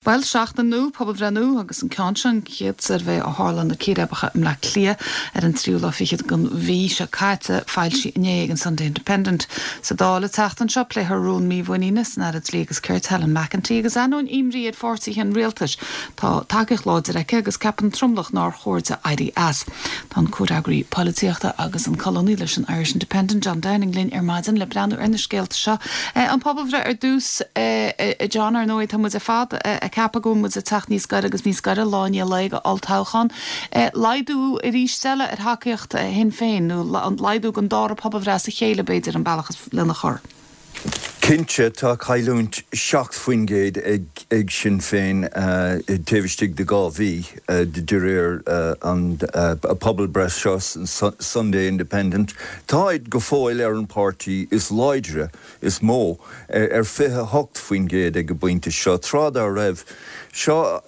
Bhuel, seachtain nua, pobalbhreith nua, agus an ceann seo, an chéad suirbhé ó tharla na círéibeacha i mBleá Cliath ar an tríú lá fichead den mhí seo caite, foilsithe inné ag an Sunday Independent. Sa Dáil an tseachtain seo, pléifear rún mímhuiníne san Aire Dlí agus Cirt, Helen McEntee, agus ainneoin imní ar pháirtithe an rialtais, tá tacaíocht láidir aici agus ceapann tromlach nár chóir di éirí as. Tá an comhfhreagraí polaitíochta agus an colúnaí leis an Irish Independent, John Downing linn ar maidin le breathnú ar na scéalta seo. An pobalbhreith ar dtús, a John, ar ndóigh tá muid ar fad ag ceapadh go bhfuil muid ag teacht níos gaire agus níos gaire lá i ndiaidh lae go olltoghchán. Laghdú arís eile ar thacaíocht Shinn Féin, nó laghdú don dara pobalbhreith as a chéile b'fhéidir an bealach lena chur. Cinnte, tá cailliúint 7% ag Sinn Féin taobh istigh de 2 mhí, de réir an pobalbhreith seo san Sunday Independent. Táid go fóill ar an páirtí is láidre, is mó, ar 28% ag an bpointe seo. Tráth dá raibh seo,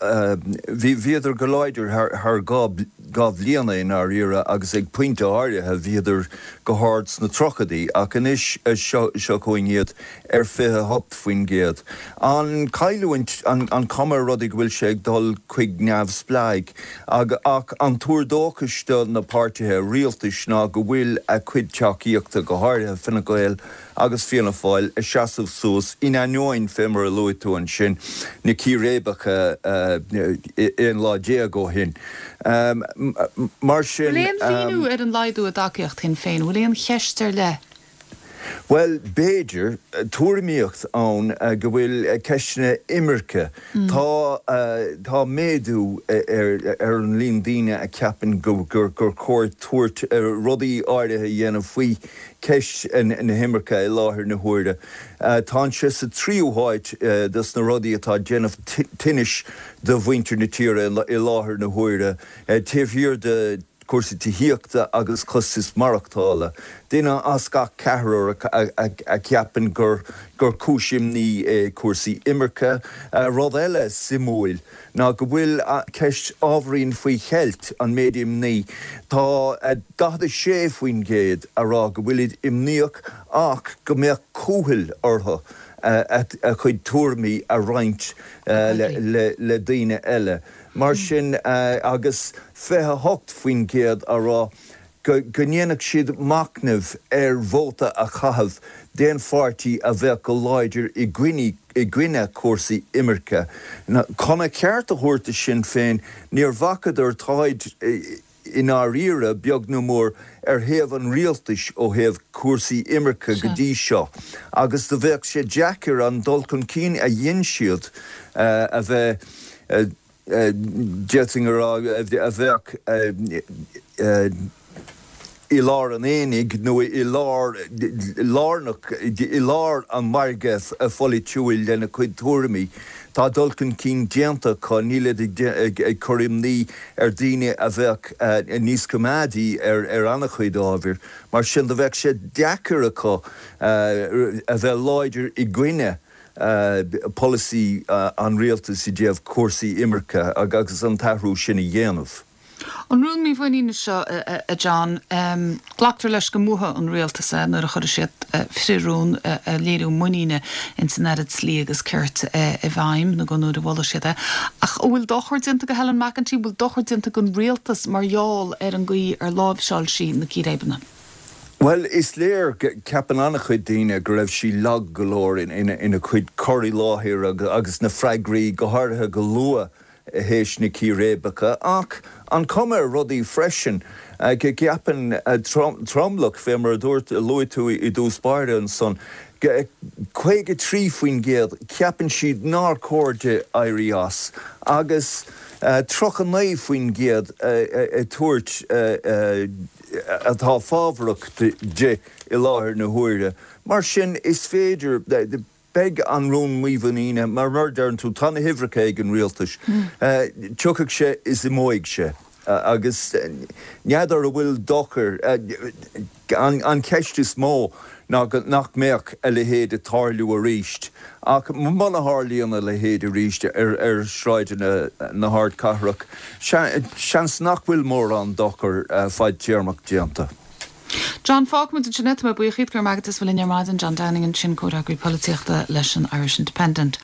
bhíodar go láidir thar 2 bhliana i ndáiríre agus ag pointe áirithe bhíodar go hard sna tríochaidí ach anois seo chugainn iad ar 28%. An chailliúint, an chuma ar rudaí go bhfuil sé ag dul chuig neamhspleáigh ach an tuar dóchais do na páirtithe rialtais ná go bhfuil a cuid tacaíochta, go háirithe Fine Gael agus Fianna Fáil, ag seasamh suas in ainneoin, fé mar a luaigh tú ansin, na círéibeacha 11 lá ó shin. Mar sin. Bhfuil aon mhíniú ar an laghdú i dtacaíocht Shinn Féin? Bhfuil aon cheist ar leith? Bhuel, b'fhéidir. Tuairimíocht ann go bhfuil ceisteanna imirce. Tá tá méadú ar an líon daoine a cheapann gur chóir tabhairt rudaí áirithe a dhéanamh faoi cheist na himirce i láthair na huaire. Tá sé sa tríú háit dos na rudaí atá ag déanamh tinnis do mhuintir na tíre i láthair na huaire, taobh thiar de chúrsaí tithíochta agus costas maireachtála. Duine as gach ceathrar a cheapann gur cúis imní é cúrsaí imirce. Rud eile suimiúil ná go bhfuil ceist ábhairín faoi cheilt, an méid imní. Tá 46% a rá go bhfuilid imníoch ach go mbeadh cúthail orthu a gcuid tuairimí a roinnt le daoine eile. Mar sin, agus 28% a rá go ndéanfadh siad machnamh ar vóta a chaitheamh d'aon pháirtí a bheadh go láidir i gcoinne cúrsaí imirce. Chun a cheart a thabhairt do Sinn Féin, níor bhacadar, táid i ndáiríre, beag nó mór, ar thaobh an rialtais ó thaobh cúrsaí imirce go dtí seo agus do bheadh sé deacair an dul chun cinn a dhein siad a bheith, d'fhéadfainn a rá, a bheadh i lár an aonaigh nó i lár, lárnach, i lár an mhargaidh pholaitiúil lena cuid tuairimí. Tá dul chun cinn déanta acu, nílid ag cur imní ar dhaoine a bheadh níos coimeádaí ar an-chuid ábhair. Mar sin do bheadh sé deacair acu a bheith láidir i gcoinne polasaí an rialtais i dtaobh cúrsaí imirce agus an t-athrú sin a dhéanamh. An rún mímhuiníne seo, a John, glactar leis go mbuafaidh an rialtas é nuair a chuirfidh siad frith-rún ag léiriú muiníne ins an Aire Dlí agus Cirt i bhfeidhm, nó go nuair a mholfaidh siad é. Ach an bhfuil dochar déanta do Helen McEntee, an bhfuil dochar déanta don rialtas mar gheall ar an gcaoi ar láimhseáil sí na círéibeanna? Bhuel, is léir, ceapann an-chuid daoine go raibh sí lag go leor ina cuid cur i láthair agus na freagraí, go háirithe go luath théis na círéibeacha, ach an chuma ar rudaí freisin go gceapann tromlach, fé mar a dúirt, luaigh tú i dtús báire ansan, 53% ceapann siad nár chóir di éirí as agus 39% ag tabhairt atá fábharach di i láthair na huaire. Mar sin, is féidir. Beidh an rún mímhuiníne, mar a deireann tú, tá na huimhreacha ag an rialtas, tiocfaidh sé is imeoidh sé agus n'fheadar an bhfuil dochar, an cheist is mó ná nach mbeadh a leithéid ag tarlú arís ach muna tharlaíonn a leithéid arís ar shráideanna na hardchathrach, seans nach bhfuil mórán dochar fadtéarmach déanta. John, Fágfaimid ansin é. Tá mé buíoch díot, go raibh maith agat as a bheith linn ar maidin. John Downing ansin, comhfhreagraí polaitíochta leis an Irish Independent.